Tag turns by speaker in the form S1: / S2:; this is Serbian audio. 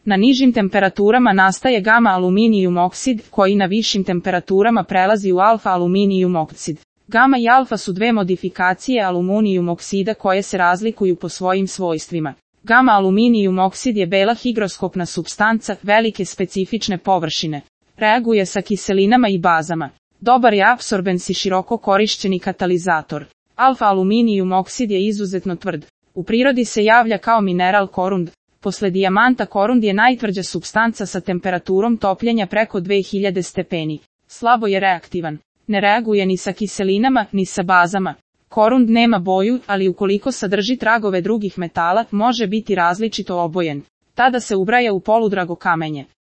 S1: Na nižim temperaturama nastaje gama aluminijum oksid, koji na višim temperaturama prelazi u alfa aluminijum oksid. Gama i alfa su dve modifikacije aluminijum oksida koje se razlikuju po svojim svojstvima. Gama aluminijum oksid je bela higroskopna supstanca, velike specifične površine. Reaguje sa kiselinama i bazama. Dobar je apsorbens i široko korišćeni katalizator. Alfa aluminijum oksid je izuzetno tvrd. U prirodi se javlja kao mineral korund. Posle dijamanta korund je najtvrđa supstanca sa temperaturom topljenja preko 2000 stepeni. Slabo je reaktivan. Ne reaguje ni sa kiselinama, ni sa bazama. Korund nema boju, ali ukoliko sadrži tragove drugih metala, može biti različito obojen. Tada se ubraja u poludrago kamenje.